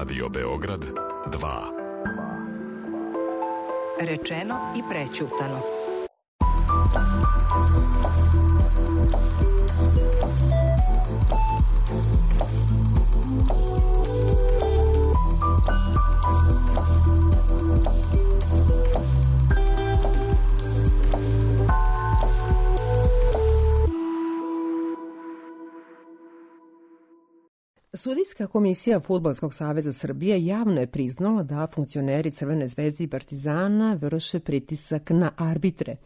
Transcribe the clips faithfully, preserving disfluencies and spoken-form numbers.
Radio Beograd dva. Rečeno i prećutano. Sudijska komisija Fudbalskog saveza Srbije javno je priznala da funkcioneri Crvene zvezde i Partizana vrše pritisak na arbitre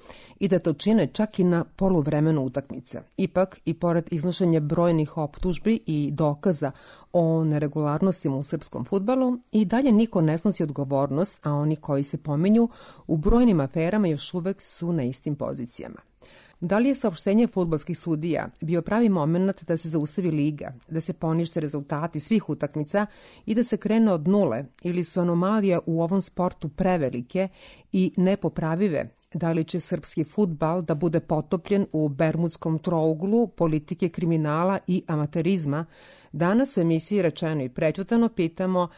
i da to čine čak i na poluvremenu utakmice. Ipak, i pored iznošenja brojnih optužbi i dokaza o neregularnostima u srpskom fudbalu, i dalje niko ne snosi odgovornost, a oni koji se pominju u brojnim aferama još uvek su na istim pozicijama. Da li je saopštenje fudbalskih sudija bio pravi moment da se zaustavi liga, da se ponište rezultati svih utakmica i da se krene od nule, ili su anomalije u ovom sportu prevelike i nepopravive? Da li će srpski fudbal da bude potopljen u bermudskom trouglu politike kriminala i amaterizma? Danas u emisiji Rečeno i prećutano pitamo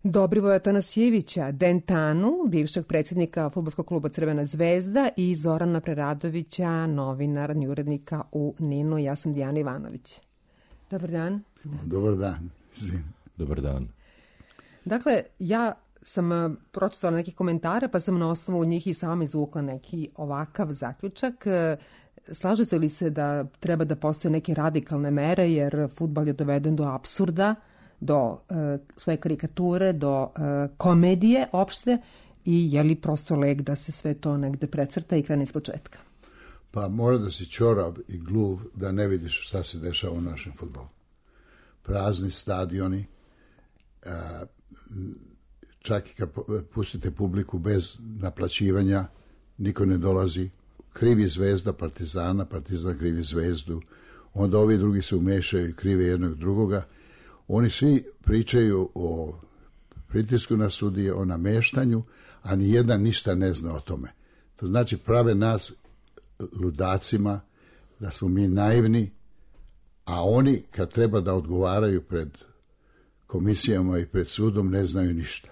Dobrivoja Tanasijevića, Dentanu, bivšeg predsjednika Fudbalskog kluba Crvena zvezda, i Zorana Preradovića, novinara i urednika u Ninu. Ja sam Dijana Ivanović. Dobar dan. Dobar dan. Zvim. Dobar dan. Dakle, ja sam pročitala neke komentare, pa sam na osnovu njih i sama izvukla neki ovakav zaključak. Slažete li se da treba da postoje neke radikalne mere, jer fudbal je doveden do apsurda, do uh, svoje karikature, do uh, komedije opšte, i je li prosto leg da se sve to negde precrta i krene iz početka? Pa mora da si ćorav i gluv da ne vidiš šta se dešava u našem fudbalu. Prazni stadioni, uh, čak i kad pustite publiku bez naplaćivanja, niko ne dolazi. Krivi Zvezda Partizana, Partizan krivi Zvezdu, onda ovi drugi se umešaju i krive jednog drugoga. Oni svi pričaju o pritisku na sudije, o nameštanju, a ni jedan ništa ne zna o tome. To znači prave nas ludacima, da smo mi naivni, a oni kad treba da odgovaraju pred komisijama i pred sudom ne znaju ništa.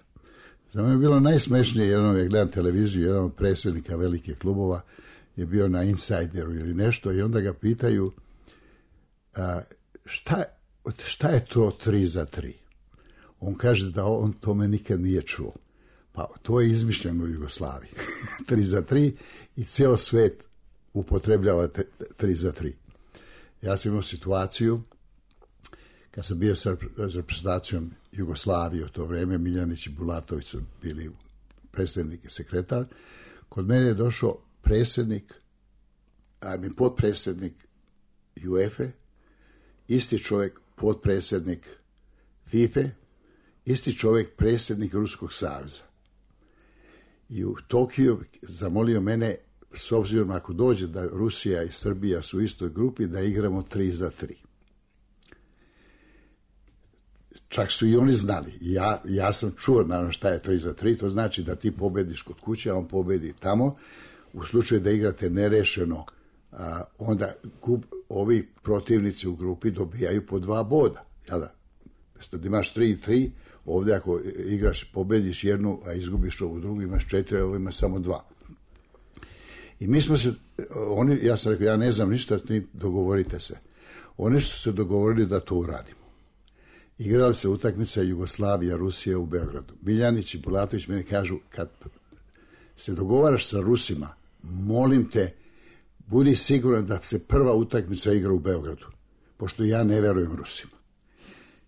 Za me je bilo najsmešnije, jednom je gledam televiziju, jedan od predsjednika velikih klubova je bio na Insideru ili nešto i onda ga pitaju a, šta je šta je to tri za tri? On kaže da on tome nikad nije čuo. Pa to je izmišljeno u Jugoslaviji. tri za tri i ceo svet upotrebljava te, tri za tri. Ja sam imao situaciju kad sam bio sa reprezentacijom Jugoslavije u to vreme, Miljanić i Bulatović su bili predsjednik i sekretar. Kod mene je došao predsjednik, a mi potpredsjednik UEFA, isti čovjek potpredsjednik FIFA, isti čovjek predsjednik Ruskog saveza. I u Tokiju zamolio mene, s obzirom ako dođe da Rusija i Srbija su u istoj grupi, da igramo tri za tri. Čak su i oni znali. Ja, ja sam čuo naravno šta je tri za tri, to znači da ti pobediš kod kuće, a on pobedi tamo. U slučaju da igrate nerešeno, a, onda gub, ovi protivnici u grupi dobijaju po dva boda. Jel da? Mesto da imaš tri i tri, ovdje ako igraš, pobediš jednu, a izgubiš ovu drugu, imaš četiri, a ovo ima samo dva. I mi smo se, oni, ja sam rekao, ja ne znam ništa, ni dogovorite se. Oni su se dogovorili da to uradimo. Igrali se utakmica Jugoslavija, Rusija u Beogradu. Miljanić i Bulatović meni kažu, kad se dogovaraš sa Rusima, molim te, budi siguran da se prva utakmica igra u Beogradu, pošto ja ne verujem Rusima.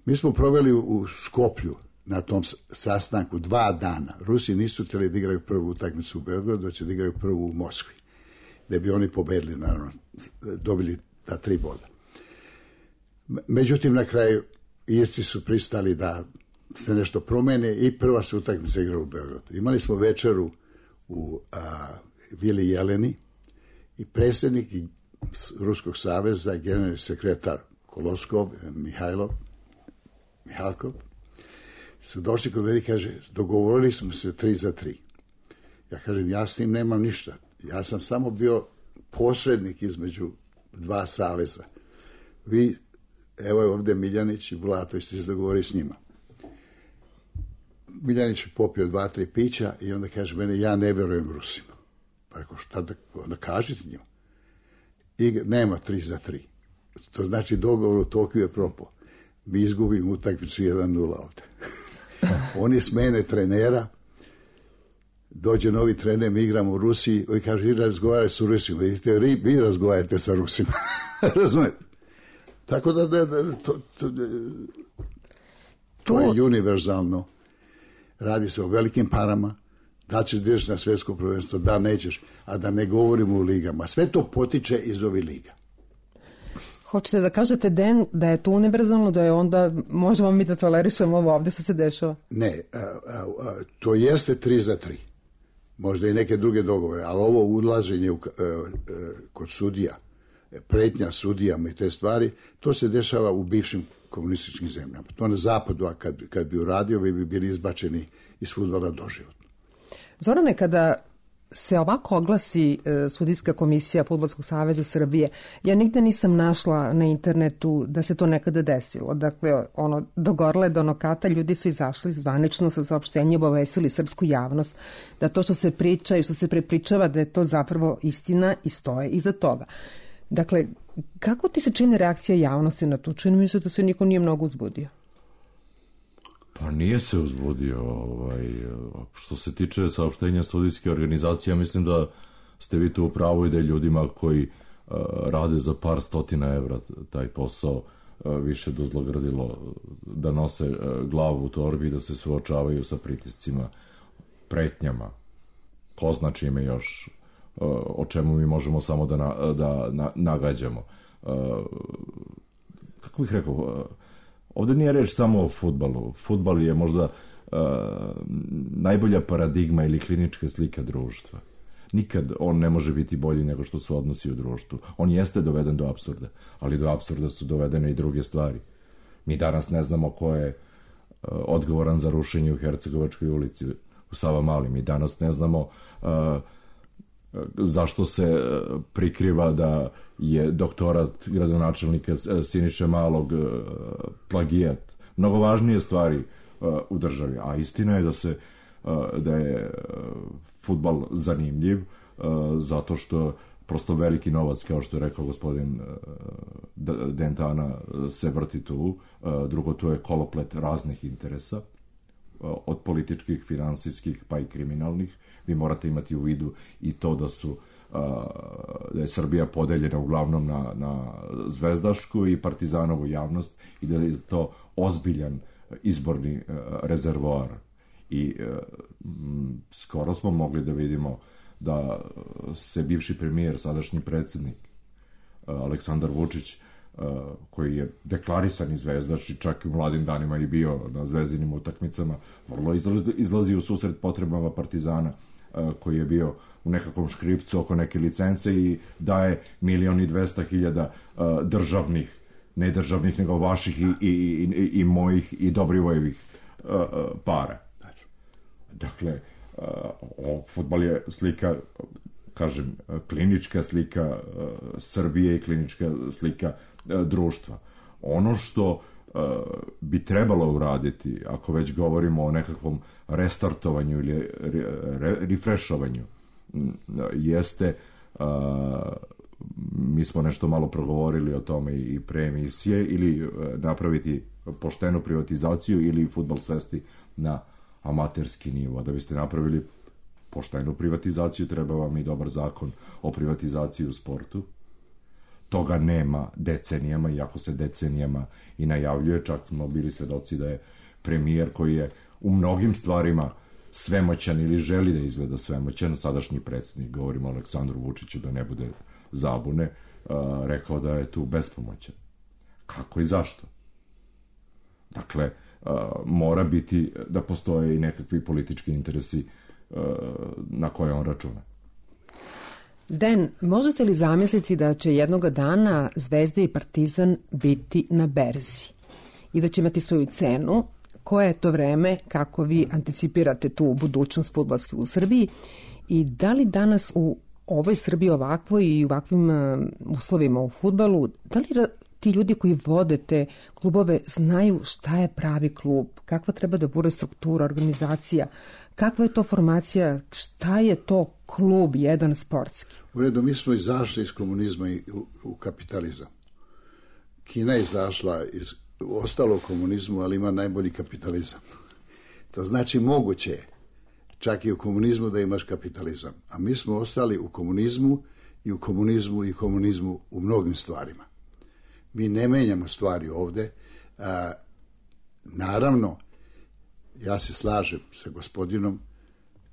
Mi smo proveli u Skoplju na tom sastanku dva dana. Rusi nisu htjeli da igraju prvu utakmicu u Beogradu, da će da igraju prvu u Moskvi, da bi oni pobedili, naravno, dobili ta tri boda. Međutim, na kraju Irci su pristali da se nešto promene i prva se utakmica igra u Beogradu. Imali smo večeru u a, Vili Jeleni i predsjednik Ruskog saveza, generalni sekretar Koloskov, Mihajlov, Mihalkov, su došli kod mene i kaže, dogovorili smo se tri za tri. Ja kažem, ja s tim nemam ništa. Ja sam samo bio posrednik između dva saveza. Vi, evo je ovdje Miljanić i Bulatović, ste se dogovorili s njima. Miljanić je popio dva, tri pića i onda kaže mene, ja ne verujem Rusima. Pa rekao, šta da, onda kažete njima. I nema tri za tri. To znači dogovor u Tokiju je propao. Mi izgubimo utakmicu jedan nula ovde. Oni smene trenera, dođe novi trener, mi igramo u Rusiji, i kaže, i razgovaraj sa Rusima. I vi razgovarajte sa Rusima. Razumete? Tako da, da, da to, to, to je univerzalno. Radi se o velikim parama. Da ćeš da ideš na svetsko prvenstvo, da nećeš, a da ne govorimo o ligama. Sve to potiče iz ovih liga. Hoćete da kažete, Den, da je to univerzalno, da je onda, možemo mi da tolerišemo ovo ovde što se dešava? Ne, a, a, a, to jeste tri za tri. Možda i neke druge dogovore, ali ovo ulaženje u, a, a, kod sudija, pretnja sudijama i te stvari, to se dešava u bivšim komunističkim zemljama. To na zapadu, a kad, kad bi uradio, bi bili izbačeni iz fudbala doživotno. Zorane, kada se ovako oglasi e, sudijska komisija Fudbalskog saveza Srbije, ja nigde nisam našla na internetu da se to nekada desilo. Dakle, ono, do Gorle, do Nokata ljudi su izašli zvanično sa saopštenjem, obavestili srpsku javnost da to što se priča i što se prepričava da je to zapravo istina i stoje iza toga. Dakle, kako ti se čini reakcija javnosti na to? Čini mi se da se niko nije mnogo uzbudio. Pa nije se uzbudio. Ovaj, što se tiče saopštenja sudijske organizacije, mislim da ste vi tu u pravu i da je ljudima koji uh, rade za par stotina evra taj posao uh, više dozlogradilo da nose uh, glavu u torbi i da se suočavaju sa pritiscima, pretnjama. Ko zna čime još, uh, o čemu mi možemo samo da, na, da na, nagađamo. Uh, kako bih rekao... Uh, Ovde nije reč samo o fudbalu. Fudbal je možda uh, najbolja paradigma ili klinička slika društva. Nikad on ne može biti bolji nego što su odnosi u društvu. On jeste doveden do apsurda, ali do apsurda su dovedene i druge stvari. Mi danas ne znamo ko je uh, odgovoran za rušenje u Hercegovačkoj ulici u Savamali. Mi danas ne znamo uh, zašto se prikriva da je doktorat gradonačelnika Siniše Malog plagijat. Mnogo važnije stvari u državi. A istina je da se da je fudbal zanimljiv zato što prosto veliki novac, kao što je rekao gospodin Dentana, se vrti tu. Drugo, to je koloplet raznih interesa, od političkih, finansijskih pa i kriminalnih. Vi morate imati u vidu i to da su da je Srbija podeljena uglavnom na, na zvezdašku i partizanovu javnost i da je to ozbiljan izborni rezervoar. I m, skoro smo mogli da vidimo da se bivši premijer, sadašnji predsjednik Aleksandar Vučić, koji je deklarisani zvezdaš i čak i u mladim danima i bio na zvezdinim utakmicama, vrlo izlazi, izlazi u susret potrebama partizana, koji je bio u nekakvom škripcu oko neke licence i daje milion i dvesta hiljada državnih, ne državnih, nego vaših i, i, i, i mojih i Dobrivojevih para. Dakle, o, fudbal je slika, kažem, klinička slika Srbije i klinička slika društva. Ono što bi trebalo uraditi, ako već govorimo o nekakvom restartovanju ili refrešovanju, jeste, mi smo nešto malo progovorili o tome i pre emisije, ili napraviti poštenu privatizaciju ili fudbal svesti na amaterski nivo. Da biste napravili poštenu privatizaciju, treba vam i dobar zakon o privatizaciji u sportu. Toga nema decenijama, iako se decenijama i najavljuje. Čak smo bili svedoci da je premijer koji je u mnogim stvarima svemoćan ili želi da izgleda svemoćan, sadašnji predsjednik, govorimo o Aleksandru Vučiću da ne bude zabune, rekao da je tu bespomoćan. Kako i zašto? Dakle, mora biti da postoje i nekakvi politički interesi na koje on računa. Den, možete li zamisliti da će jednoga dana Zvezda i Partizan biti na berzi i da će imati svoju cenu? Koje je to vreme, kako vi anticipirate tu budućnost fudbalske u Srbiji i da li danas u ovoj Srbiji ovakvoj i u ovakvim uslovima u fudbalu, da li ti ljudi koji vode te klubove znaju šta je pravi klub, kakva treba da bude struktura, organizacija, kakva je to formacija, šta je to klub jedan sportski? U redu, mi smo izašli iz komunizma i u, u kapitalizam. Kina je izašla iz, ostalo u komunizmu, ali ima najbolji kapitalizam. To znači moguće je čak i u komunizmu da imaš kapitalizam. A mi smo ostali u komunizmu i u komunizmu i komunizmu u mnogim stvarima. Mi ne menjamo stvari ovde. A, naravno, ja se slažem sa gospodinom,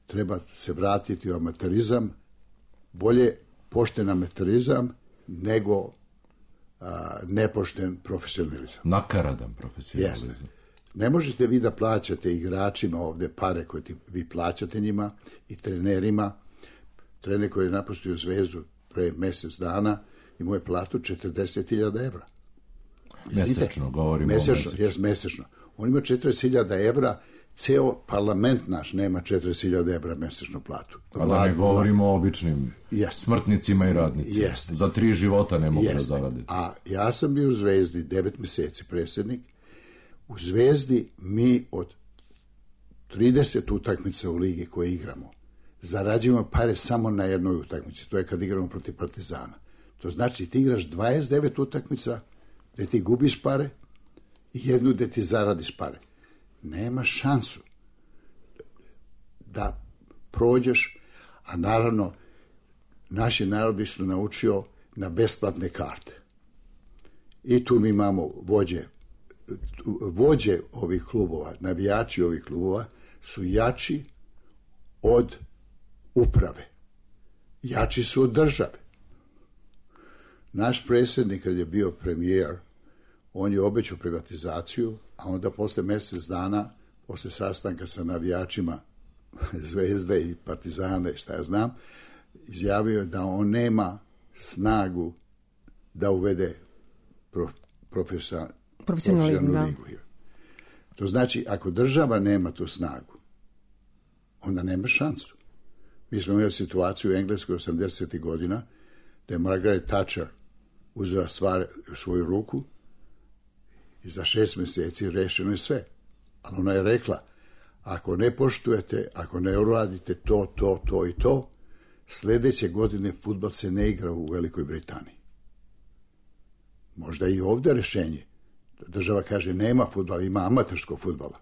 treba se vratiti u amaterizam, bolje pošten amaterizam nego a, nepošten profesionalizam. Nakaradan profesionalizam. Jeste. Ne možete vi da plaćate igračima ovde pare koje ti, vi plaćate njima i trenerima. Trener koji je napustio Zvezdu pre mesec dana imao je platu četrdeset hiljada evra. Mesečno, govorimo mesečno, o mesečno. Jes, mesečno. On ima četrdeset hiljada evra, ceo parlament naš nema četrdeset hiljada evra mesečnu platu. A da ne govorimo o običnim Jest. smrtnicima i radnicima. Jest. Za tri života ne mogu Jest. da zarade. A ja sam bio u Zvezdi devet meseci predsjednik. U Zvezdi mi od trideset utakmica u ligi koje igramo zarađujemo pare samo na jednoj utakmici. To je kad igramo protiv Partizana. To znači ti igraš dvadeset devet utakmica gde ti gubiš pare i jednu gde ti zaradiš pare. Nema šansu da prođeš, a naravno naši narodi su naučio na besplatne karte. I tu mi imamo vođe vođe ovih klubova, navijači ovih klubova su jači od uprave. Jači su od države. Naš predsjednik kad je bio premijer, on je obećao privatizaciju, a onda posle mjesec dana, posle sastanka sa navijačima Zvezde i Partizana i šta ja znam, izjavio da on nema snagu da uvede prof, profesor, profesionalnu da. ligu. To znači, ako država nema tu snagu, onda nema šansu. Mi smo imali situaciju u Engleskoj osamdesetih godina, da je Margaret Thatcher uzela stvar u svoju ruku i za šest mjeseci rešeno je sve. Ali ona je rekla, ako ne poštujete, ako ne uradite to, to, to i to, sljedeće godine fudbal se ne igra u Velikoj Britaniji. Možda i ovdje rešenje. Država kaže, nema fudbala, ima amaterskog fudbala,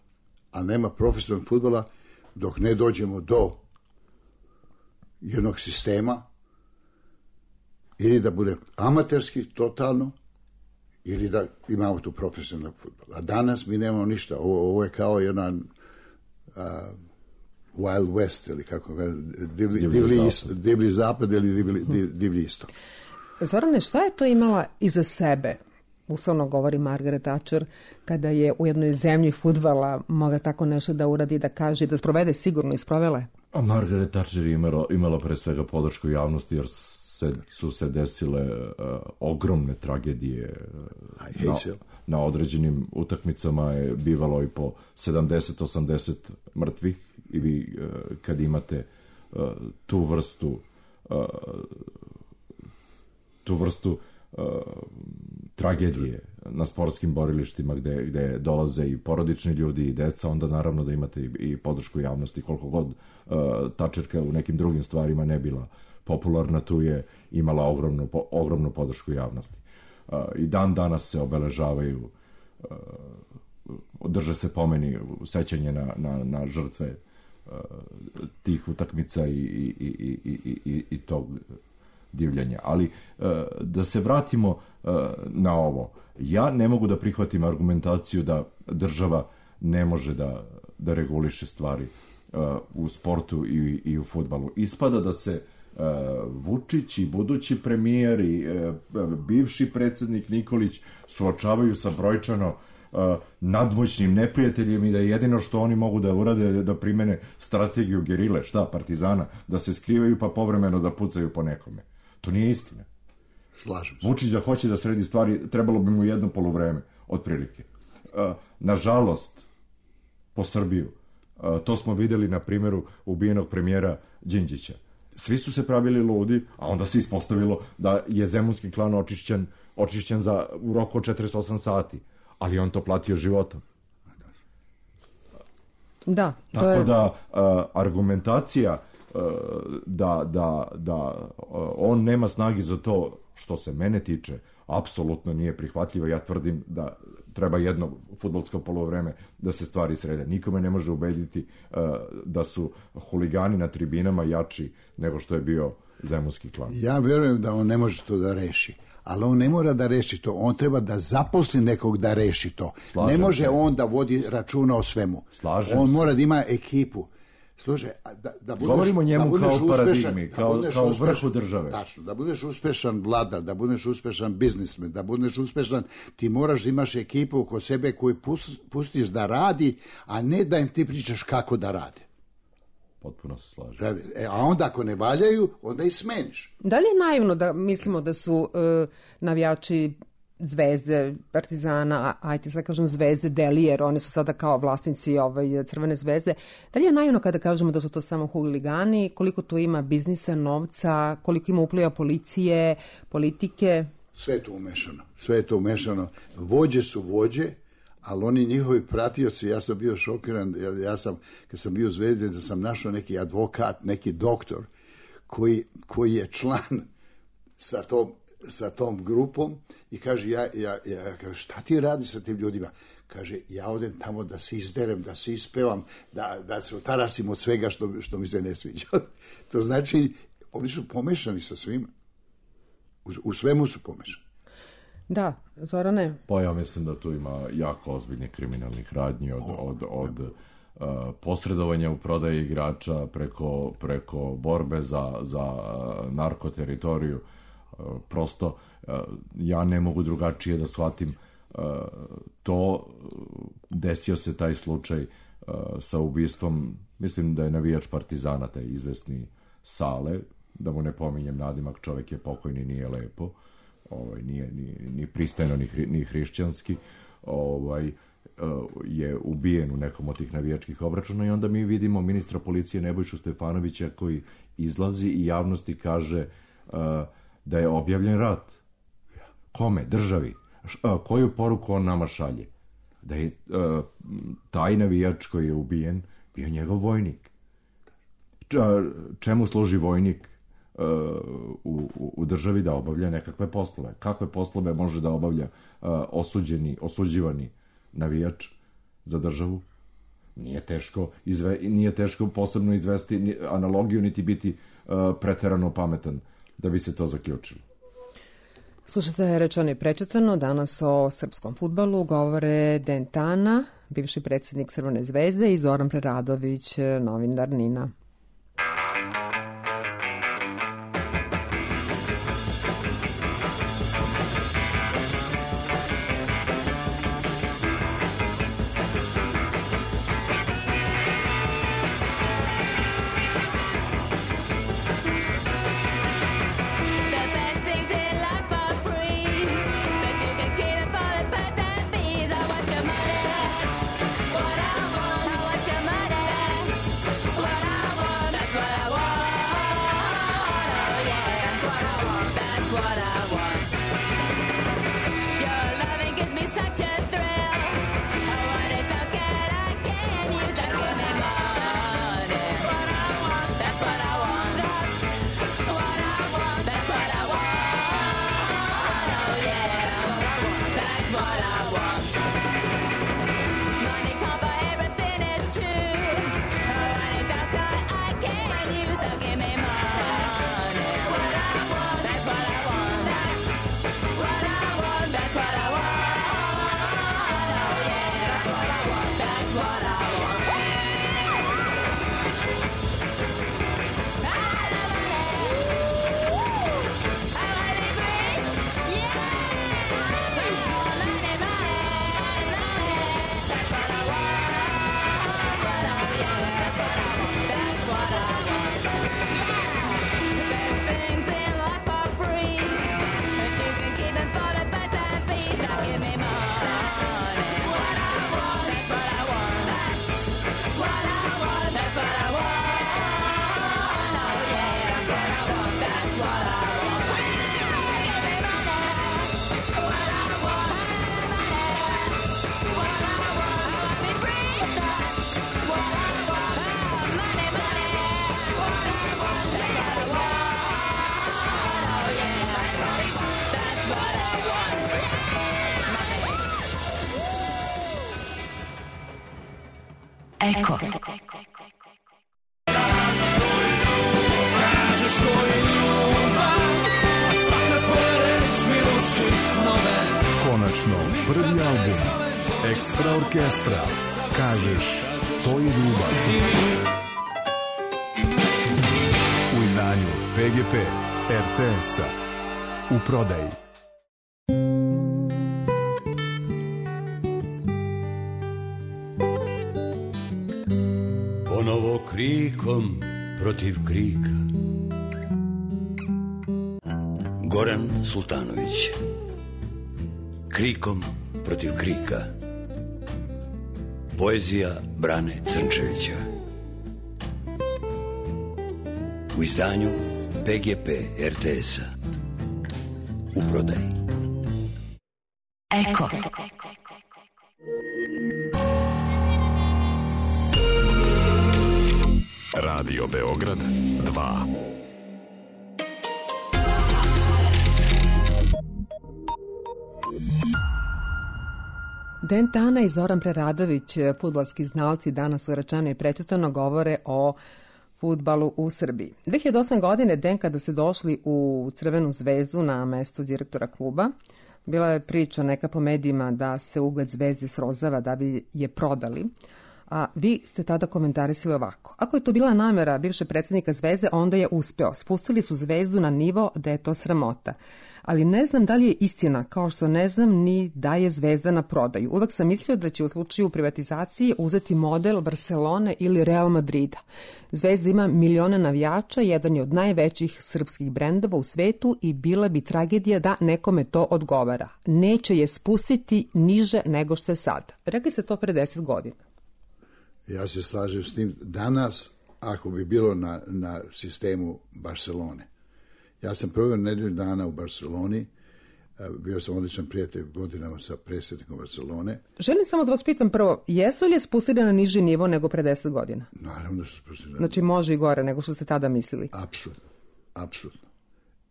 ali nema profesionalnog fudbala dok ne dođemo do jednog sistema ili da bude amaterski totalno ili da imamo tu profesionalnog fudbala. A danas mi nemamo ništa. Ovo, ovo je kao jedan uh, Wild West ili kako ga, divlji, divlji, divlji, zapad. divlji zapad ili divlji, divlji istok. Zorane, šta je to imala iza sebe? Uslovno govori Margaret Thatcher, kada je u jednoj zemlji fudbala mogla tako nešto da uradi, da kaže, da sprovede, sigurno i sprovele. A Margaret Thatcher je imala, imala pre svega podršku javnosti, jer se, su se desile uh, ogromne tragedije. Uh, na, na određenim utakmicama je bivalo i po sedamdeset osamdeset mrtvih i vi uh, kad imate uh, tu vrstu uh, tu vrstu uh, tragedije na sportskim borilištima gde, gde dolaze i porodični ljudi i deca, onda naravno da imate i, i podršku javnosti. Koliko god uh, Thatcherka u nekim drugim stvarima ne bila popularna, tu je imala ogromnu, po, ogromnu podršku javnosti. Uh, I dan danas se obeležavaju, uh, drže se pomeni sećanje na, na, na žrtve uh, tih utakmica i, i, i, i, i, i tog divljanja. Ali uh, da se vratimo uh, na ovo. Ja ne mogu da prihvatim argumentaciju da država ne može da, da reguliše stvari uh, u sportu i, i u fudbalu. Ispada da se uh, Vučić i budući premijer i uh, bivši predsjednik Nikolić suočavaju sa brojčano uh, nadmoćnim neprijateljem i da jedino što oni mogu da urade je da primene strategiju gerile, šta, partizana, da se skrivaju pa povremeno da pucaju po nekome. To nije istina. Slažem se. Vučić da hoće da sredi stvari, trebalo bi mu jedno poluvreme, otprilike. Uh, nažalost, po Srbiju, uh, to smo videli na primjeru ubijenog premijera Đinđića. svi su se pravili ludi, a onda se ispostavilo da je zemunski klan očišćen, očišćen za, u roku od četrdeset osam sati, ali on to platio životom. Da, to Tako je... da uh, argumentacija uh, da, da, da uh, on nema snagi za to, što se mene tiče, apsolutno nije prihvatljivo. Ja tvrdim da treba jedno fudbalsko poluvreme da se stvari srede. Nikome ne može ubediti uh, da su huligani na tribinama jači nego što je bio zemunski klan. Ja verujem da on ne može to da reši, ali on ne mora da reši to, on treba da zaposli nekog da reši to. Slažem ne može se. on da vodi računa o svemu. Slažem on se. mora da ima ekipu. Slušaj, da, da budeš, Govorimo o njemu da budeš kao uspešan, paradigmi, da kao, budeš kao uspešan, vrhu države. Tačno, da budeš uspešan vladar, da budeš uspešan biznismen, da budeš uspešan, ti moraš da imaš ekipu kod sebe koju pustiš da radi, a ne da im ti pričaš kako da rade. Potpuno se slažem. E, a onda ako ne valjaju, onda ih smeniš. Da li je naivno da mislimo da su uh, navijači Zvezde, Partizana, ajte sad kažem Zvezde, Deli, jer oni su sada kao vlasnici ovaj, Crvene zvezde. Da li je naivno kada kažemo da su to samo huligani, koliko tu ima biznisa, novca, koliko ima upliva policije, politike? Sve je to umešano. Sve je to umešano. Vođe su vođe, ali oni njihovi pratioci, ja sam bio šokiran, ja sam, kad sam bio u Zvezdi, da sam našao neki advokat, neki doktor, koji, koji je član sa tom, sa tom grupom i kaže, ja, ja, ja kaže, šta ti radi sa tim ljudima? Kaže, ja odem tamo da se izderem, da se ispevam, da, da se otarasim od svega što, što mi se ne sviđa. To znači, oni su pomešani sa svima. U, u svemu su pomešani. Da, Zorane? Pa ja mislim da tu ima jako ozbiljnih kriminalnih radnji od, od, od uh, posredovanja u prodaji igrača preko, preko borbe za, za uh, narkoteritoriju. Uh, prosto uh, ja ne mogu drugačije da shvatim uh, to. Desio se taj slučaj uh, sa ubistvom, mislim da je navijač Partizana, taj izvesni Sale, da mu ne pominjem nadimak, čovjek je pokojni, nije lepo. Ovaj, nije ni, ni pristajno, ni, hri, ni hrišćanski, ovaj, uh, je ubijen u nekom od tih navijačkih obračuna i onda mi vidimo ministra policije Nebojšu Stefanovića koji izlazi i javnosti kaže uh, da je objavljen rat. Kome? Državi. Š, uh, koju poruku on nama šalje? Da je uh, taj navijač koji je ubijen bio njegov vojnik. Č, čemu služi vojnik U, u, u državi da obavlja nekakve poslove? Kakve poslove može da obavlja uh, osuđeni, osuđivani navijač za državu? Nije teško, izve, nije teško posebno izvesti ni, analogiju, niti biti uh, preterano pametan da bi se to zaključilo. Slušajte, rečeno i prečitano, danas o srpskom fudbalu govore Dejan Tana, bivši predsjednik Crvene zvezde, i Zoran Preradović, novinar NIN-a. What I Eko. Konačno, prvi album Ekstra orkestra. Kažeš, to je ljubav. U izdanju P G P R T S-a. U prodaji. Ponovo krikom protiv krika. Goran Sultanović. Krikom protiv krika. Poezija Brane Crnčevića. U izdanju P G P R T S-a. U prodaji. Eko. Radio Beograd dva. Den Tana i Zoran Preradović, fudbalski znalci, danas u Rečeno i prečitano govore o fudbalu u Srbiji. dve hiljade osme. godine, Den, kada se došli u Crvenu zvezdu na mesto direktora kluba, bila je priča neka po medijima da se ugled Zvezde srozava da bi je prodali. A vi ste tada komentarisali ovako. Ako je to bila namera bivšeg predsjednika Zvezde, onda je uspeo. Spustili su Zvezdu na nivo da je to sramota. Ali ne znam da li je istina, kao što ne znam ni da je Zvezda na prodaju. Uvek sam mislio da će u slučaju privatizacije uzeti model Barcelone ili Real Madrida. Zvezda ima milione navijača, jedan je od najvećih srpskih brendova u svetu i bila bi tragedija da nekome to odgovara. Neće je spustiti niže nego što je sad. Rekli ste to pre deset godina. Ja se slažem s tim. Danas, ako bi bilo na, na sistemu Barcelone, ja sam proveo nedelju dana u Barceloni, bio sam odličan prijatelj godinama sa predsjednikom Barcelone. Želim samo da vas pitam prvo, jesu li je spustili na niži nivo nego pre deset godina? Naravno da su spustili. Znači može i gore nego što ste tada mislili? Apsolutno, apsolutno.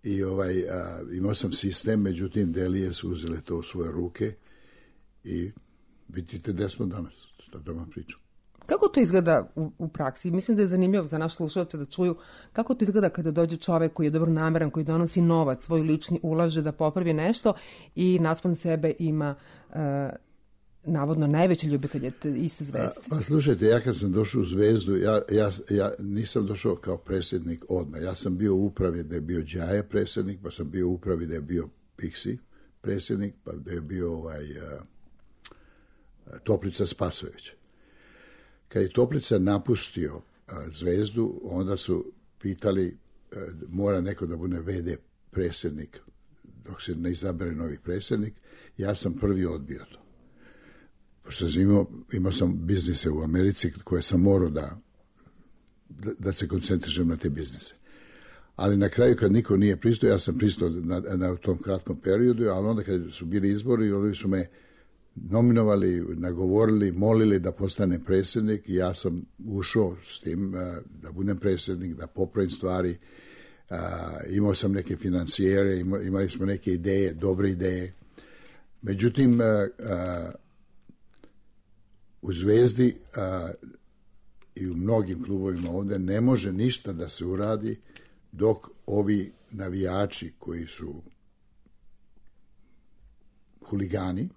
I ovaj, a, imao sam sistem, međutim Delije su uzele to u svoje ruke i vidite gde smo danas, šta da vam pričam. Kako to izgleda u, u praksi? Mislim da je zanimljivo za naš slušalce da čuju kako to izgleda kada dođe čovek koji je dobronameran, koji donosi novac, svoj lični, ulaže da popravi nešto i naspram sebe ima uh, navodno najveće ljubitelje iste Zvezde. Pa slušajte, ja kad sam došao u Zvezdu, ja, ja, ja nisam došao kao predsjednik odmah. Ja sam bio u upravi da je bio Đaje predsjednik, pa sam bio u upravi da je bio Piksi predsjednik, pa da je bio ovaj, uh, Toplica Spasojević. Kad je Toplica napustio a, Zvezdu, onda su pitali, a, mora neko da bude ve de predsjednik, dok se ne izabere novi predsjednik. Ja sam prvi odbio to. Pošto sam imao, imao sam biznise u Americi koje sam morao da, da, da se koncentrišem na te biznise. Ali na kraju kad niko nije pristao, ja sam pristao na, na tom kratkom periodu, ali onda kad su bili izbori, oni su me nominovali, nagovorili, molili da postane predsjednik i ja sam ušao s tim da budem predsjednik, da popravim stvari. Imao sam neke financijere, imali smo neke ideje, dobre ideje. Međutim, u Zvezdi i u mnogim klubovima ovde ne može ništa da se uradi dok ovi navijači koji su huligani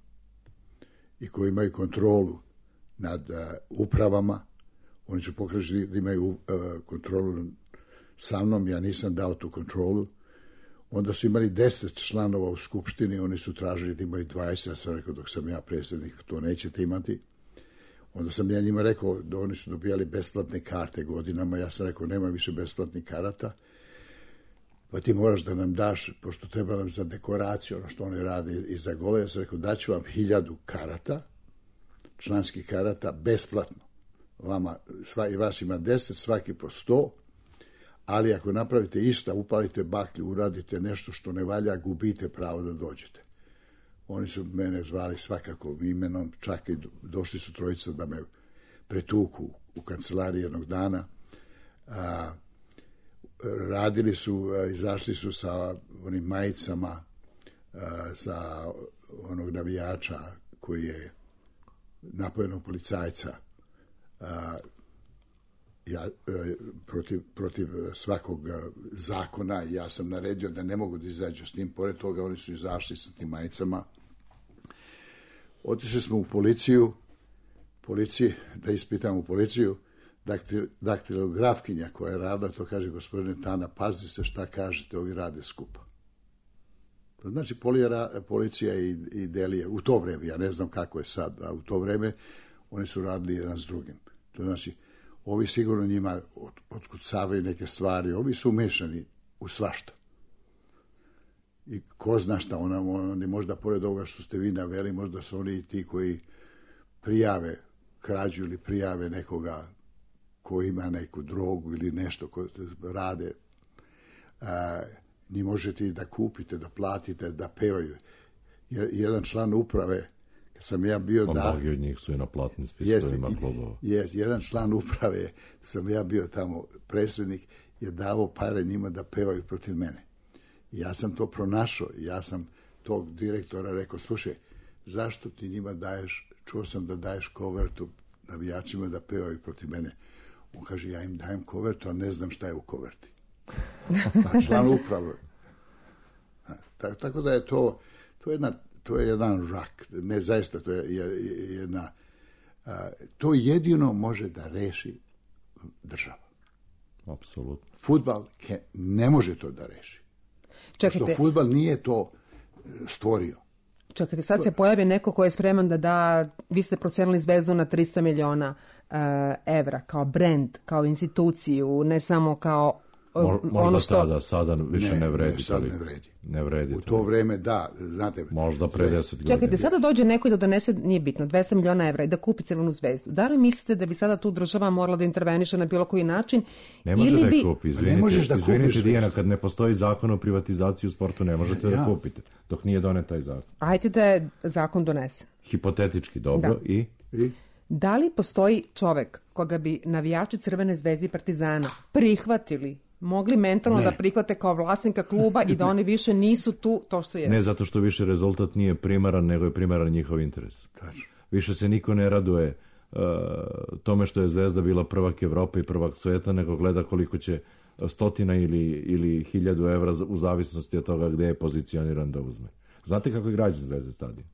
i koji imaju kontrolu nad uh, upravama, oni su pokazali da imaju uh, kontrolu sa mnom, ja nisam dao tu kontrolu. Onda su imali deset članova u skupštini, oni su tražili da imaju dvadeset, ja sam rekao dok sam ja predsjednik, to nećete imati. Onda sam ja njima rekao da oni su dobijali besplatne karte godinama, ja sam rekao nema više besplatnih karata, pa ti moraš da nam daš, pošto treba nam za dekoraciju, ono što oni rade i za gole, ja sam rekao daću vam hiljadu karata, članskih karata, besplatno. Vama, sva, i vas ima deset, svaki po sto, ali ako napravite išta, upalite baklju, uradite nešto što ne valja, gubite pravo da dođete. Oni su mene zvali svakako imenom, čak i došli su trojica da me pretuku u kancelariji jednog dana. A, radili su, izašli su sa onim majicama za onog navijača koji je napojenog policajca a, ja, protiv, protiv svakog zakona, ja sam naredio da ne mogu da izađu s tim, pored toga oni su izašli sa tim majicama. Otišli smo u policiju, policiji, da ispitamo policiju, daktil, daktilografkinja koja je radila, to kaže, gospodine Tana, pazi se šta kažete, ovi rade skupa. To znači polijera, policija i, i delije, u to vreme, ja ne znam kako je sad, a u to vreme oni su radili jedan s drugim. To znači, ovi sigurno njima od, otkucavaju neke stvari, ovi su umešani u svašta. I ko zna šta, ona, oni možda pored ovoga što ste vi naveli, možda su oni ti koji prijave krađu ili prijave nekoga ko ima neku drogu ili nešto ko rade. A, ni možete i da kupite, da platite, da pevaju. Jedan član uprave, kad sam ja bio... Pa mnogi od njih su i na platnim spiskovima klubova. Jest, jedan član uprave, sam ja bio tamo predsjednik, je davao pare njima da pevaju protiv mene. I ja sam to pronašao, ja sam tog direktora rekao, slušaj, zašto ti njima daješ, čuo sam da daješ kovertu navijačima da pevaju protiv mene. On kaže, ja im dajem kovertu, a ne znam šta je u koverti. A član uprave. Tako da je to, to je, jedna, to je jedan žak, ne zaista, to je jedna, a, to jedino može da reši država. Apsolutno. Fudbal ne može to da reši. Čekajte. Što fudbal nije to stvorio. Čekajte, sad se pojavi neko ko je spreman da da, vi ste procenili Zvezdu na trista miliona uh, evra, kao brand, kao instituciju, ne samo kao Mo, možda ono što... tada, sada više ne, ne vredi. Ne, sad ne vredi. Ne vredi. U to vreme, da, znate... Možda pre deset godina. Čekajte, sada dođe neko i da donese, nije bitno, dvesta miliona evra i da kupi Crvenu Zvezdu. Da li mislite da bi sada tu država morala da interveniše na bilo koji način? Ne može ili da bi... kupi, izvinite, ne možeš da izvinite kupiš, Dijana, kad ne postoji zakon o privatizaciji u sportu, ne možete ja. da kupite, dok nije donet taj zakon. Ajde da je zakon donesen. Hipotetički, dobro, da. i... I? Da li postoji čovek koga bi navijači Crvene Zvezde i Partizana prihvatili, mogli mentalno ne. da prihvate kao vlasnika kluba i da oni više nisu tu to što je? Ne, zato što više rezultat nije primaran, nego je primaran njihov interes. Tačno. Više se niko ne raduje uh, tome što je Zvezda bila prvak Evrope i prvak sveta, nego gleda koliko će stotina ili, ili hiljadu evra u zavisnosti od toga gde je pozicioniran da uzme. Znate kako je građen Zvezde stadion?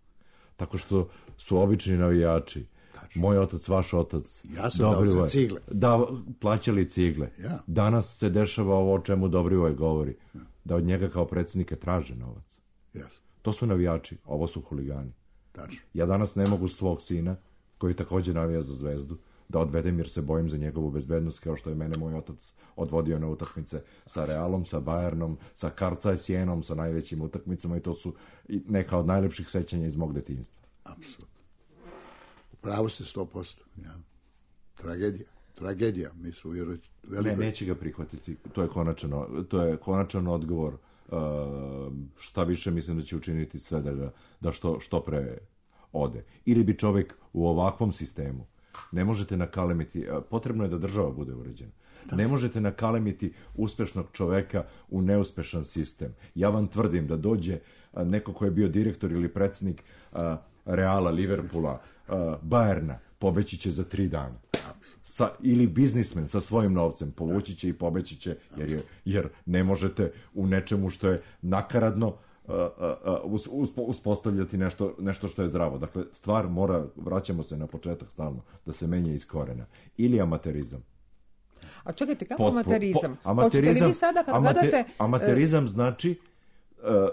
Tako što su obični navijači. Tačno. Moj otac, vaš otac. Ja sam dao za cigle. Da, plaćali cigle. Ja. Danas se dešava ovo o čemu Dobrivoj govori. Ja. Da od njega kao predsjednika traže novac. Yes. To su navijači, ovo su huligani. Tačno. Ja danas ne mogu svog sina, koji također navija za Zvezdu, da odvedem jer se bojim za njegovu bezbednost, kao što je mene moj otac odvodio na utakmice sa Realom, sa Bayernom, sa Karca i Sjenom, sa najvećim utakmicama, i to su neka od najlepših sećanja iz mog detinjstva. Apsolutno. Pravo ste sto posto. Ja. Tragedija. Tragedija. Mi smo veliko... Ne, neće ga prihvatiti. To je konačan, to je konačan odgovor. Uh, šta više, mislim da će učiniti sve da, ga, da što, što pre ode. Ili bi čovjek u ovakvom sistemu, ne možete nakalemiti, potrebno je da država bude uređena. Da. Ne možete nakalemiti uspešnog čoveka u neuspešan sistem. Ja vam tvrdim da dođe neko ko je bio direktor ili predsjednik uh, Reala, Liverpoola, uh, Bayerna, pobeći će za tri dana. Sa, ili biznismen sa svojim novcem povući će i pobeći će, jer, je, jer ne možete u nečemu što je nakaradno uh, uh, uh, uspostavljati nešto, nešto što je zdravo. Dakle, stvar mora, vraćamo se na početak stalno, da se menja iz korena. Ili amaterizam. A čekajte, kako po, amaterizam? Po, amaterizam, vi sada kad amate, gledate... Amaterizam znači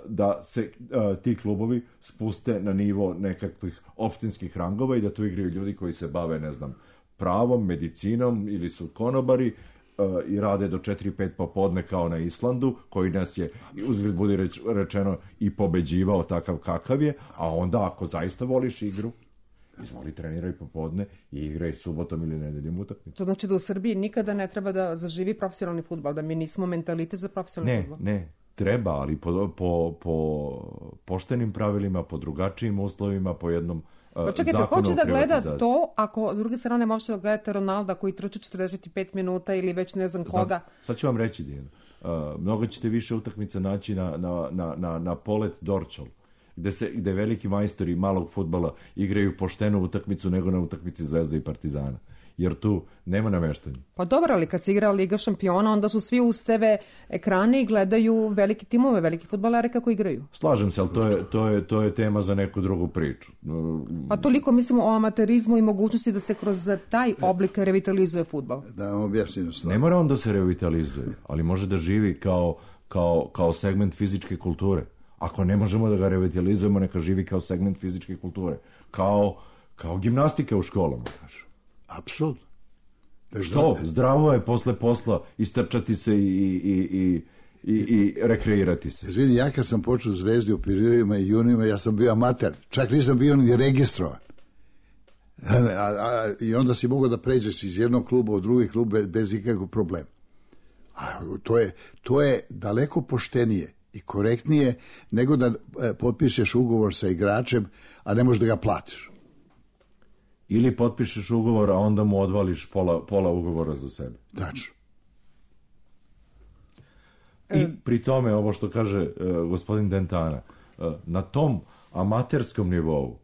da se uh, ti klubovi spuste na nivo nekakvih opštinskih rangova i da tu igraju ljudi koji se bave, ne znam, pravom, medicinom ili su konobari uh, i rade do četiri pet popodne kao na Islandu, koji nas je, uzgled budi reč, rečeno, i pobeđivao takav kakav je, a onda ako zaista voliš igru, izvoli, treniraj popodne i igraj subotom ili nedeljom utakmicu. To znači da u Srbiji nikada ne treba da zaživi profesionalni fudbal, da mi nismo mentalitet za profesionalni ne, fudbal? Ne, ne. Treba, ali po, po, po poštenim pravilima, po drugačijim uslovima, po jednom uh, pa čekajte, zakonu o privatizaciji. Ko će da gleda to ako s druge strane možete da gledate Ronalda koji trči četrdeset pet minuta ili već ne znam koga? Znam, sad ću vam reći, Dijana. Uh, mnogo ćete više utakmica naći na, na, na, na, na Polet Dorčol, gde, se, gde veliki majstori malog fudbala igraju poštenu utakmicu nego na utakmici Zvezde i Partizana. jer tu nema nameštanja. Pa dobro, ali kad se igra Liga šampiona, onda su svi uz te ve ekrane i gledaju velike timove, veliki fudbalere kako igraju. Slažem se, ali to je, to je, to je tema za neku drugu priču. Pa toliko mislimo o amaterizmu i mogućnosti da se kroz taj oblik revitalizuje fudbal. Da vam objasnim stvar. Ne mora on da se revitalizuje, ali može da živi kao, kao, kao segment fizičke kulture. Ako ne možemo da ga revitalizujemo, neka živi kao segment fizičke kulture. Kao, kao gimnastika u školama. Apsolutno. Što? Zdravo je posle posla istrčati se i, i, i, i, i rekreirati se. Izvini, ja kad sam počeo Zvezdi u periodima i junima, ja sam bio amater. Čak nisam bio ni registrovan. A, a, I onda si mogao da pređeš iz jednog kluba u drugi klub bez, bez ikakvog problema. A, to, je, to je daleko poštenije i korektnije nego da e, potpišeš ugovor sa igračem, a ne možeš da ga platiš. Ili potpišeš ugovor, a onda mu odvališ pola, pola ugovora za sebe. Tačno. I pri tome, ovo što kaže uh, gospodin Dentana, uh, na tom amaterskom nivou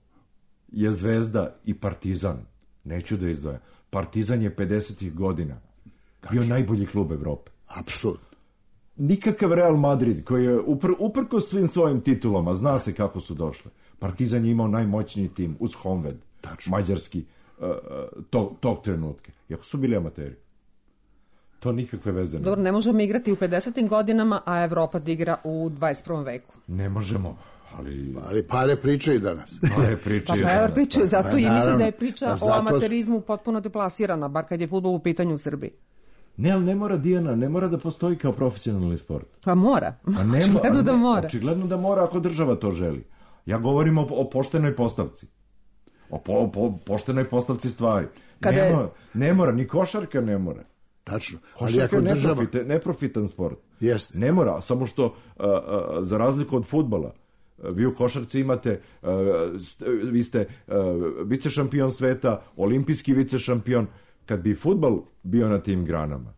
je Zvezda i Partizan, neću da izdvajam, Partizan je pedesetih godina bio Tačno. najbolji klub Evrope. Apsolutno. Nikakav Real Madrid, koji je upr, uprko svim svojim titulama, zna se kako su došle. Partizan je imao najmoćniji tim uz Honved, Tačno. mađarski, uh, tog, tog trenutka. Iako su bili amateri. To nikakve veze nema. Dobro, ne možemo igrati u pedesetim godinama, a Evropa da igra u dvadeset prvom veku. Ne možemo, ali... Ali pare pričaju danas. Pare pričaju. Pa pare pričaju, zato pa, i mislim da je priča da, o zato... amaterizmu potpuno deplasirana, bar kad je fudbal u pitanju u Srbiji. Ne, ali ne mora, Dijana, ne mora da postoji kao profesionalni sport. Pa mora. A ne, očigledno a ne, da mora. Očigledno da mora ako država to želi. Ja govorim o, o poštenoj postavci. O po, po, poštenoj postavci stvari. Kada ne, je... mora, ne mora, ni košarka ne mora. Tačno. Košarka je neprofite, država... neprofitan sport. Jeste. Ne mora, samo što uh, uh, za razliku od fudbala, uh, vi u košarci imate, uh, st, vi ste uh, vice šampion sveta, olimpijski vice šampion. Kad bi fudbal bio na tim granama,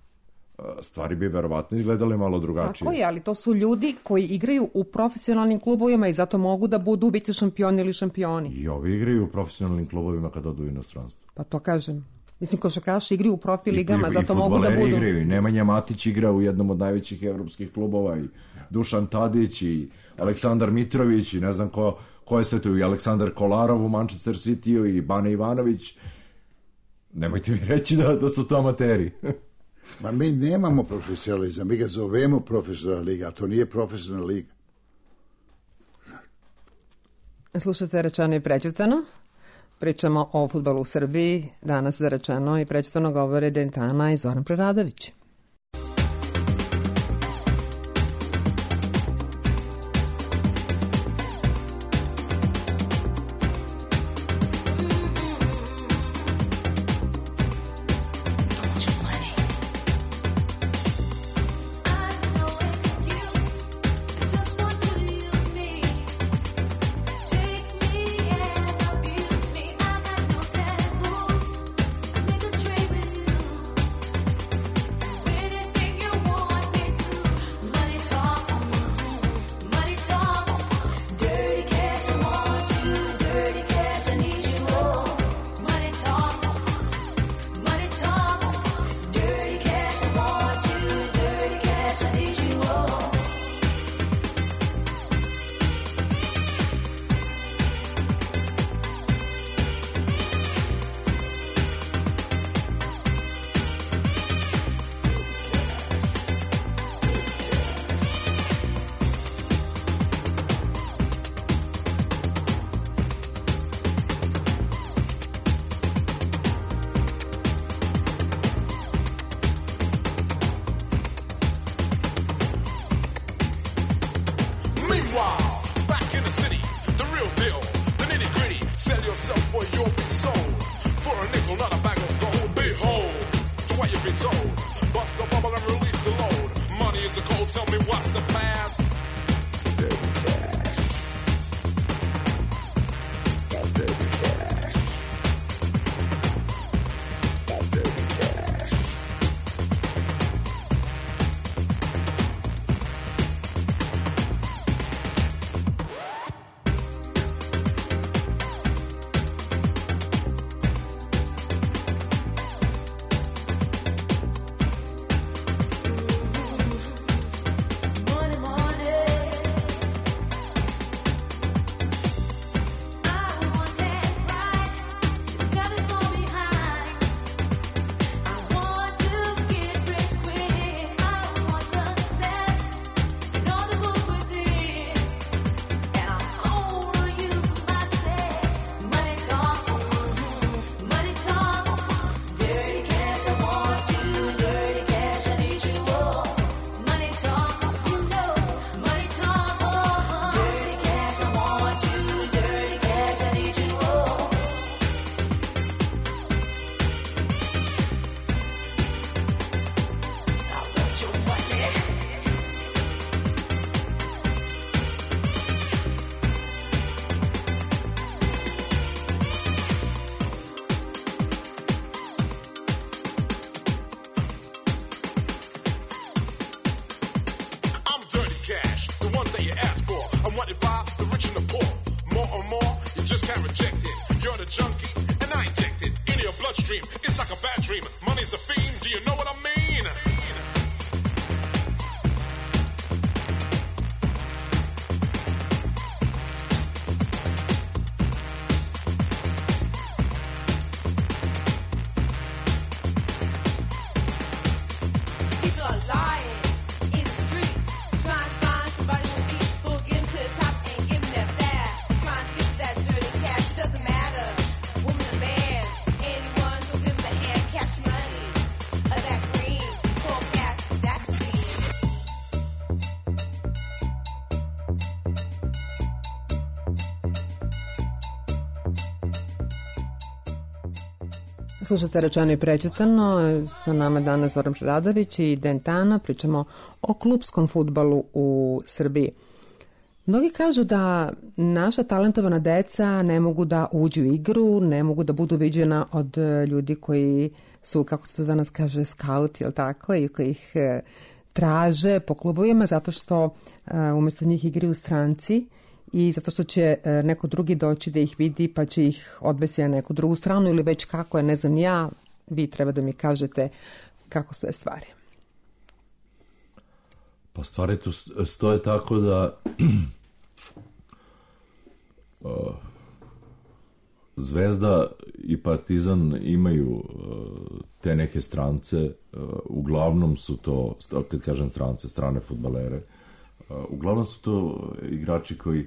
stvari bi verovatno izgledale malo drugačije. Tako je, ali to su ljudi koji igraju u profesionalnim klubovima i zato mogu da budu vice šampioni ili šampioni. I ovi igraju u profesionalnim klubovima kad odu u inostranstvo. Pa to kažem. Mislim, košarkaši igraju u profi ligama, I, zato i mogu da budu... igraju. I Nemanja Matić igra u jednom od najvećih evropskih klubova, i Dušan Tadić, i Aleksandar Mitrović, i ne znam ko, ko je sve tu, i Aleksandar Kolarov u Manchester City-u, i Bane Ivanović. Nemojte mi reći da, da su to amateri. Ma mi nemamo profesionalizam, mi ga zovemo profesionalna liga, a to nije profesionalna liga. Slušate Rečeno i prećutano. Pričamo o fudbalu u Srbiji. Danas za Rečeno i prećutano govore Dentana i Zoran Preradović. can't reject it. You're the junkie, and I inject it into your bloodstream. It's like a bad dream. Money's the fiend. Do you know what I mean? Slušate Rečeno i prećutano, sa nama danas Zoran Preradović i Dentana, pričamo o klupskom fudbalu u Srbiji. Mnogi kažu da naša talentovana deca ne mogu da uđu u igru, ne mogu da budu viđena od ljudi koji su, kako se to danas kaže, skauti, jel tako, i koji ih traže po klubovima zato što umjesto njih igraju stranci i zato što će neko drugi doći da ih vidi pa će ih odvesti na neku drugu stranu ili već kako je, ne znam ja, vi treba da mi kažete kako stoje stvari. Pa stvari tu stoje tako da Zvezda i Partizan imaju te neke strance, uglavnom su to, kad kažem strance, strane fudbalere, uglavnom su to igrači koji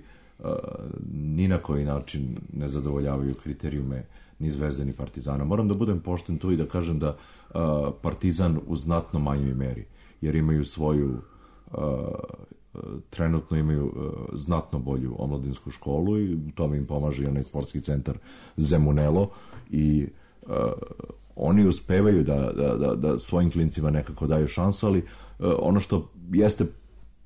ni na koji način ne zadovoljavaju kriterijume ni Zvezde ni Partizana. Moram da budem pošten tu i da kažem da Partizan u znatno manjoj meri, jer imaju svoju, trenutno imaju znatno bolju omladinsku školu i u tome im pomaže i onaj sportski centar Zemunelo i oni uspevaju da, da, da, da svojim klincima nekako daju šansu, ali ono što jeste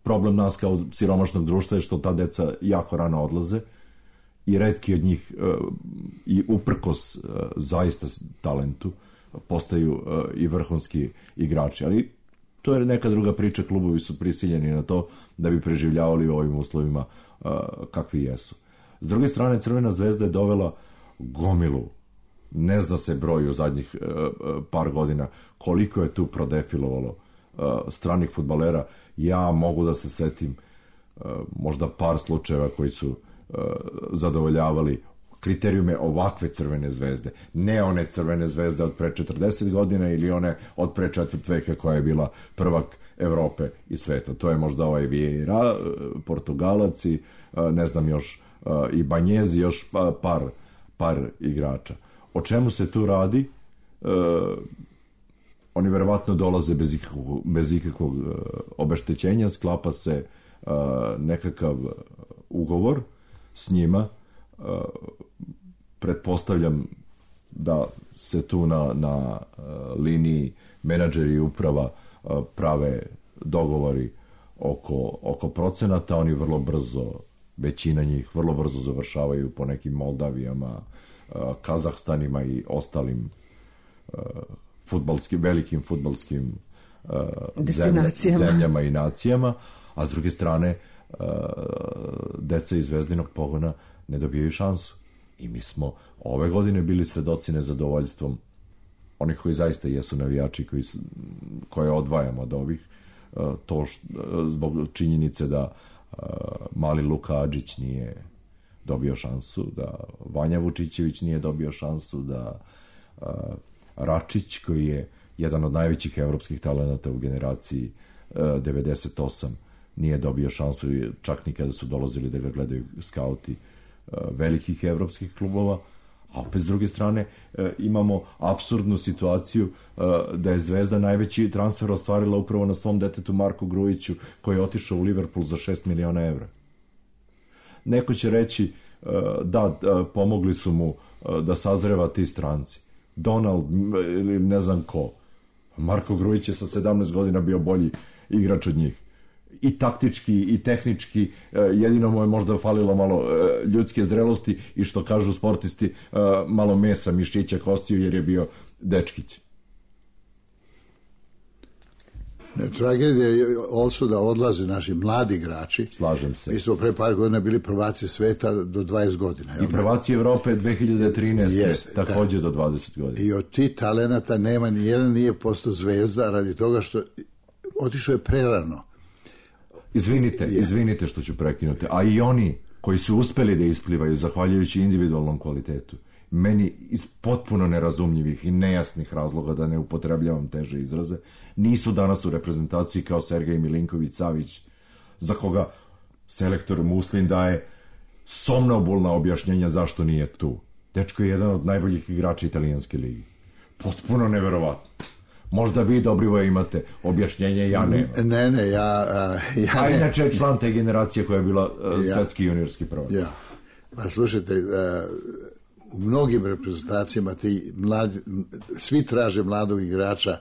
problem nas kao siromašnog društva je što ta deca jako rano odlaze i retki od njih i uprkos zaista talentu postaju i vrhunski igrači, ali to je neka druga priča, klubovi su prisiljeni na to da bi preživljavali u ovim uslovima kakvi jesu. S druge strane, Crvena zvezda je dovela gomilu, ne zna se broj u zadnjih par godina koliko je tu prodefilovalo stranih fudbalera. Ja mogu da se setim možda par slučajeva koji su zadovoljavali kriterijume ovakve Crvene zvezde, ne one Crvene zvezde od pre četrdeset godina ili one od pre četvrt veka koja je bila prvak Evrope i sveta. To je možda ovaj Vieira, Portugalac i ne znam još i Banjezi, još par, par igrača. O čemu se tu radi? E, oni verovatno dolaze bez ikakvog, bez ikakvog obeštećenja, sklapa se e, nekakav ugovor s njima. E, pretpostavljam da se tu na, na liniji menadžeri i uprava prave dogovori oko, oko procenata. Oni vrlo brzo, većina njih vrlo brzo završavaju po nekim Moldavijama, Kazahstanima i ostalim fudbalskim, velikim fudbalskim destinacijama, zemljama i nacijama, a s druge strane deca iz Zvezdinog pogona ne dobijaju šansu. I mi smo ove godine bili svedoci nezadovoljstvom onih koji zaista jesu navijači, koji, koje odvajamo od ovih, to što, zbog činjenice da mali Luka Adžić nije dobio šansu, da Vanja Vučićević nije dobio šansu, da Račić, koji je jedan od najvećih evropskih talenata u generaciji devedeset osam, nije dobio šansu, čak ni kada su dolazili da ga gledaju skauti velikih evropskih klubova. A opet s druge strane imamo apsurdnu situaciju da je Zvezda najveći transfer ostvarila upravo na svom detetu Marku Grujiću, koji je otišao u Liverpool za šest miliona evra. Neko će reći da, pomogli su mu da sazreva ti stranci. Donald ili ne znam ko. Marko Grujić je sa sedamnaest godina bio bolji igrač od njih. I taktički i tehnički, jedino mu je možda falilo malo ljudske zrelosti i što kažu sportisti, malo mesa, mišića, kostiju, jer je bio dečkić. Ne, tragedija je also da odlaze naši mladi igrači. Slažem se. Mi smo pre par godina bili prvaci sveta do dvadeset godina. I prvaci Evrope dve hiljade trinaeste. Jeste, također da. Do dvadeset godina. I od tih talenata nema ni jedan nije postao zvezda radi toga što otišao je prerano. Izvinite, izvinite što ću prekinuti. A i oni koji su uspeli da isplivaju zahvaljujući individualnom kvalitetu, meni iz potpuno nerazumljivih i nejasnih razloga, da ne upotrebljavam teže izraze, nisu danas u reprezentaciji kao Sergej Milinković-Savić, za koga selektor Muslin daje somnobulna objašnjenja zašto nije tu. Dečko je jedan od najboljih igrača italijanske ligi. Potpuno neverovatno. Možda vi, Dobrivoje, imate objašnjenje, ja nemam. Ne, ne, ja... Uh, ja A ne. inače je član te generacije koja je bila uh, ja. svetski juniorski prvak. Ja. Pa slušajte, uh, u mnogim reprezentacijama ti mladi, svi traže mladog igrača,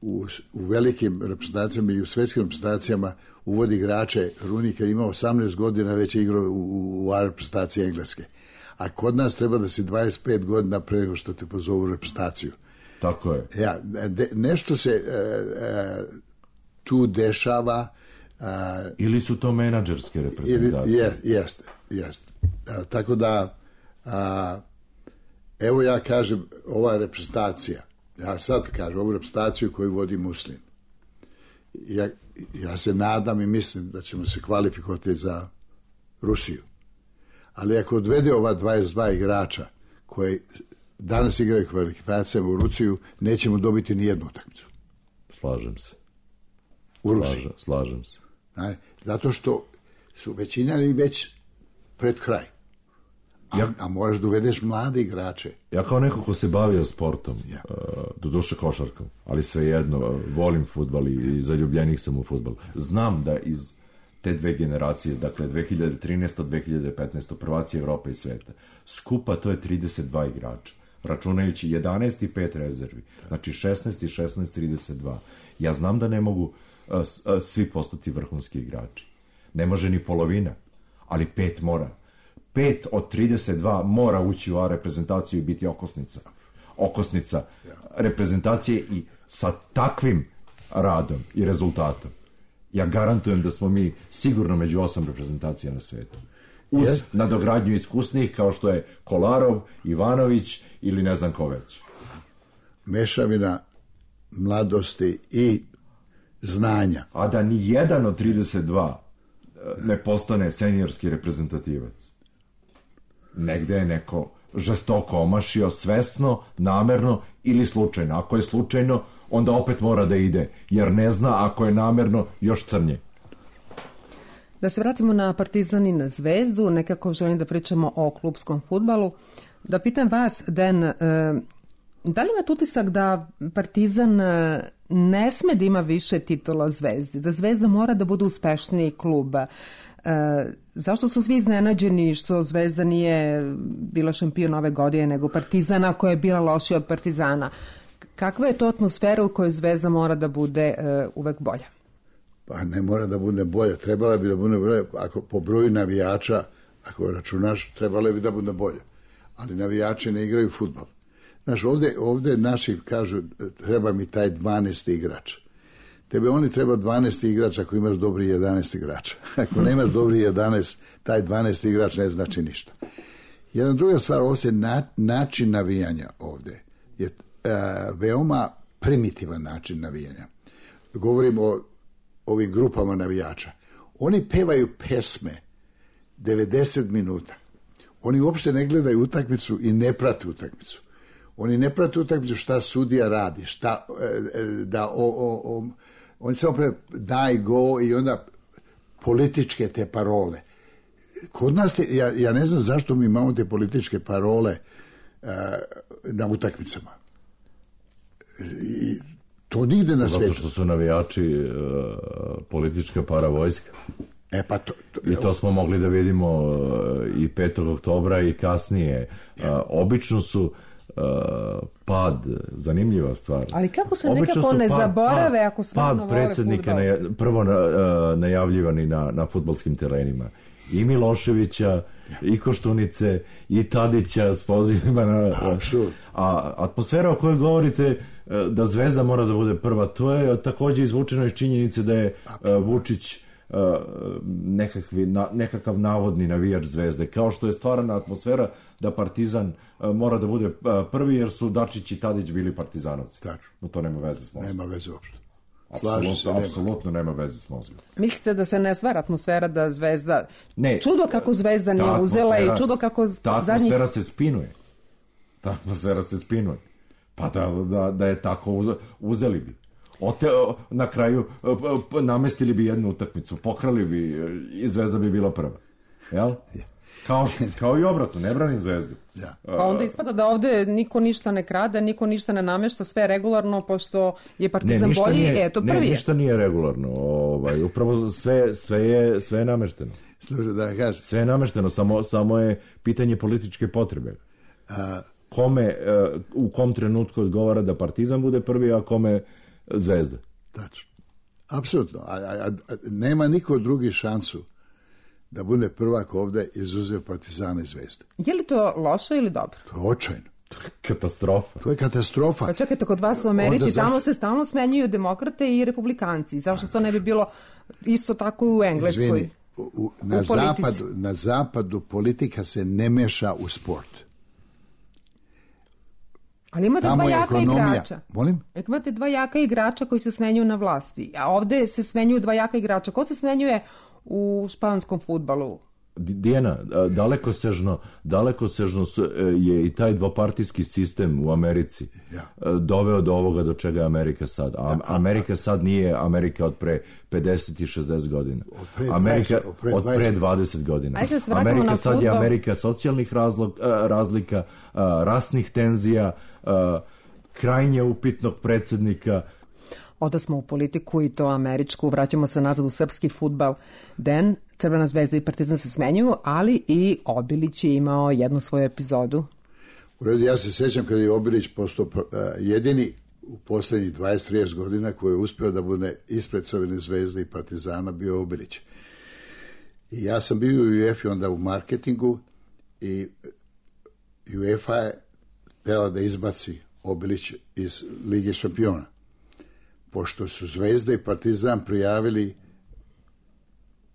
u, u velikim reprezentacijama i u svetskim reprezentacijama uvodi igrače. Runik je imao osamnaest godina, već je igrao u, u, u reprezentaciji Engleske. A kod nas treba da si dvadeset pet godina pre nego što te pozovu u reprezentaciju. Tako je. Ja, de, nešto se e, e, tu dešava. E, ili su to menadžerske reprezentacije? Je, jeste, jeste. E, tako da, a, evo ja kažem, ova reprezentacija, ja sad kažem, ovu reprezentaciju koju vodi Muslin, ja, ja se nadam i mislim da ćemo se kvalifikovati za Rusiju. Ali ako odvede ova dvadeset dva igrača koji danas igraju kvalifikacijama u Rusiju, nećemo dobiti ni jednu utakmicu. Slažem se. U Rusiji. Slažem, slažem se. Znači, zato što su većina već pred kraj. A, ja, a moraš da uvedeš mlade igrače. Ja kao neko ko se bavio sportom, ja. uh, doduše košarkom, ali svejedno, uh, volim fudbal i, i zaljubljenih sam u fudbal. Znam da iz te dve generacije, dakle dve hiljade trinaeste. dve hiljade petnaeste. prvaci Evrope i sveta, skupa to je trideset dva igrača, računajući jedanaest i pet rezervi, znači šesnaest i šesnaest, trideset dva. Ja znam da ne mogu uh, uh, svi postati vrhunski igrači. Ne može ni polovina, ali pet mora. Pet od trideset dva mora ući u A reprezentaciju i biti okosnica. Okosnica reprezentacije i sa takvim radom i rezultatom. Ja garantujem da smo mi sigurno među osam reprezentacija na svetu. Uz yes. nadogradnju iskusnih kao što je Kolarov, Ivanović ili ne znam ko već. Mešavina mladosti i znanja. A da ni jedan od trideset dva ne postane seniorski reprezentativac. Negde je neko žestoko omašio, svesno, namerno ili slučajno. Ako je slučajno, onda opet mora da ide, jer ne zna, ako je namerno, još crnje. Da se vratimo na Partizan i na Zvezdu, nekako želim da pričamo o klupskom fudbalu. Da pitam vas, Den, da li imate utisak da Partizan ne sme da ima više titula Zvezdi, da Zvezda mora da bude uspešniji klub? Zašto su svi iznenađeni što Zvezda nije bila šampion ove godine nego Partizana koja je bila lošija od Partizana? Kakva je to atmosfera u kojoj Zvezda mora da bude uh, uvek bolja? Pa ne mora da bude bolja, trebala bi da bude bolja, ako po broju navijača, ako računaš, trebala bi da bude bolja. Ali navijači ne igraju fudbal. Znaš, ovde, ovde naši kažu, treba mi taj dvanaesti igrač. Tebe oni treba dvanaesti igrač ako imaš dobri jedanaest igrača. Ako nemaš dobri jedanaest, taj dvanaesti igrač ne znači ništa. Jedna druga stvar, ovdje na, način navijanja ovde je uh, veoma primitivan način navijanja. Govorim o ovim grupama navijača. Oni pevaju pesme devedeset minuta. Oni uopšte ne gledaju utakmicu i ne prate utakmicu. Oni ne prate utakmicu šta sudija radi, šta da o, o, o, oni samo pre daj go i onda političke te parole. Kod nas, te, ja, ja ne znam zašto mi imamo te političke parole uh, na utakmicama. I to nigde na svijetu. Zato što su navijači uh, politička paravojska. E pa to, to, I to smo mogli da vidimo uh, i petog oktobra i kasnije. Uh, obično su Uh, pad, zanimljiva stvar. Ali kako se obično nekako ne pad, zaborave pad, ako stvarno vole predsjednika naja, prvo na, uh, najavljivani na, na fudbalskim terenima. I Miloševića, i Koštunice, i Tadića s pozivima na... Apsolutno. A atmosfera o kojoj govorite da Zvezda mora da bude prva. To je takođe izvučeno iz činjenice da je Vučić nekakvi, na, nekakav navodni navijač Zvezde, kao što je stvarana atmosfera da Partizan mora da bude prvi jer su Dačić i Tadić bili partizanovci. No to nema veze s mozgom. Nema veze uopšte. Apsolutno, apsolutno nema veze s mozgom. Mislite da se ne stvara atmosfera da Zvezda... Ne. Čudo kako Zvezda nije uzela i čudo kako ta atmosfera zadnjih... se spinuje. Ta atmosfera se spinuje. Pa da, da, da je tako uzeli bi. Ote, na kraju namestili bi jednu utakmicu, pokrali bi i Zvezda bi bila prva. Jel? Kao, kao i obratno, ne branim Zvezdu. Ja. Pa onda ispada da ovde niko ništa ne krade, niko ništa ne namešta, sve je regularno, pošto je Partizan ne, bolji, nije, eto prvi ne, je. Ništa nije regularno, ovaj, upravo sve, sve, je, sve je namešteno. Slušaj da kažem. Sve je namešteno, samo, samo je pitanje političke potrebe. A... Kome, u kom trenutku odgovara da Partizan bude prvi, a kome Zvezda. Tačno. Apsolutno. A, a, a, nema niko drugi šansu da bude prvak ovde izuzev Partizana i Zvezde. Je li to loše ili dobro? To je očajno. Katastrofa. To je katastrofa. Pa čekajte, kod vas u Americi zašto... tamo se stalno smenjuju demokrate i republikanci. Zašto to ne bi bilo isto tako i u Engleskoj? Izvini, u, u, na, u zapadu, na zapadu politika se ne meša u sport. Ali imate tamo dva jaka ekonomija. Igrača. Molim? Imate dva jaka igrača koji se smenjuju na vlasti. A ovde se smenjuju dva jaka igrača. Ko se smenjuje u španskom fudbalu? Dijana, dalekosežno, dalekosežno je i taj dvopartijski sistem u Americi ja. doveo do ovoga do čega je Amerika sad. A Amerika sad nije Amerika od pre pedeset i šezdeset godina. Od pre Amerika dvadeset, od pre od pre dvadeset godina. Ajde, Amerika sad je Amerika socijalnih razlog, razlika, rasnih tenzija, krajnje upitnog predsjednika. Oda smo u politiku i to američku, vraćamo se nazad u srpski fudbal. Den, Crvena zvezda i Partizan se smenjuju, ali i Obilić je imao jednu svoju epizodu. U redu, ja se sećam kada je Obilić postao jedini u poslednjih dvadeset do trideset godina koji je uspeo da bude ispred Crvene zvezde i Partizana, bio Obilić. I ja sam bio u UEFA onda u marketingu i UEFA je htela da izbaci Obilić iz Lige šampiona. Pošto su Zvezda i Partizan prijavili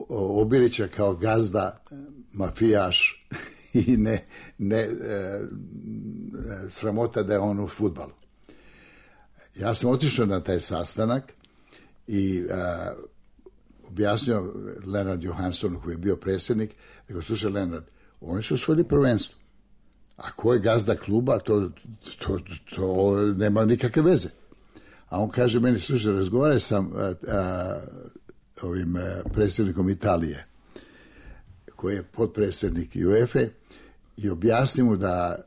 Obilića kao gazda, mafijaš i ne, ne e, sramota da je on u fudbalu. Ja sam otišao na taj sastanak i e, objasnio Lenard Johanssonu koji je bio predsjednik, rekao, slušaj Lenard, oni su osvojili prvenstvo. A ko je gazda kluba, to, to, to nema nikakve veze. A on kaže meni, slušaj, razgovaraj sam a, a, ovim a, predsjednikom Italije, koji je potpredsjednik UEFA i objasni mu da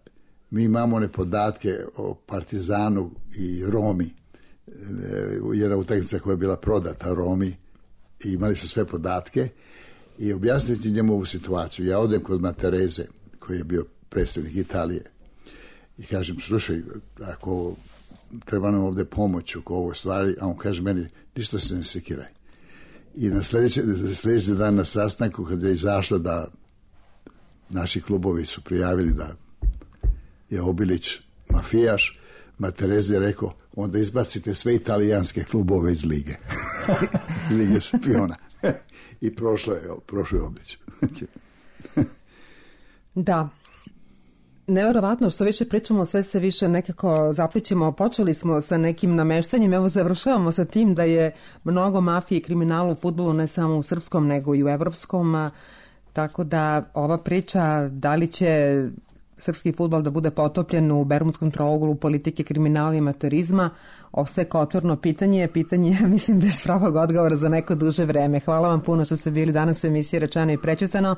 mi imamo one podatke o Partizanu i Romi, jedna utakmica koja je bila prodata Romi i imali su sve podatke i objasniti njemu ovu situaciju. Ja odem kod Matereze, koji je bio predsjednik Italije i kažem, slušaj, ako treba nam ovde pomoć oko ovo stvari, a on kaže meni, ništa se ne sekiraj. I na sljedeći, sljedeći dan na sastanku, kada je izašlo da naši klubovi su prijavili da je Obilić mafijaš, Materezi je rekao, onda izbacite sve italijanske klubove iz lige. Lige šampiona. I prošlo je, prošlo je Obilić. Da. Neverovatno, što više pričamo, sve se više nekako zaplićemo. Počeli smo sa nekim nameštanjem, evo završavamo sa tim da je mnogo mafije i kriminala u fudbalu, ne samo u srpskom, nego i u evropskom. Tako da ova priča, da li će srpski fudbal da bude potopljen u bermudskom trouglu politike, kriminala i amaterizma, ostaje kao otvoreno pitanje. Pitanje, mislim, bez pravog odgovora za neko duže vreme. Hvala vam puno što ste bili danas u emisiji Rečeno i prećutano.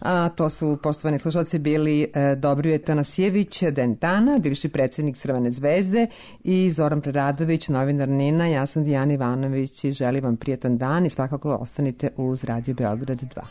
A to su, poštovani slušalci, bili e, Dobrije Tanasijević Dentana, bivši predsjednik Crvene zvezde, i Zoran Preradović, novinar Nina. Ja sam Dijana Ivanović i želim vam prijetan dan i svakako ostanite uz Radio Beograd dva.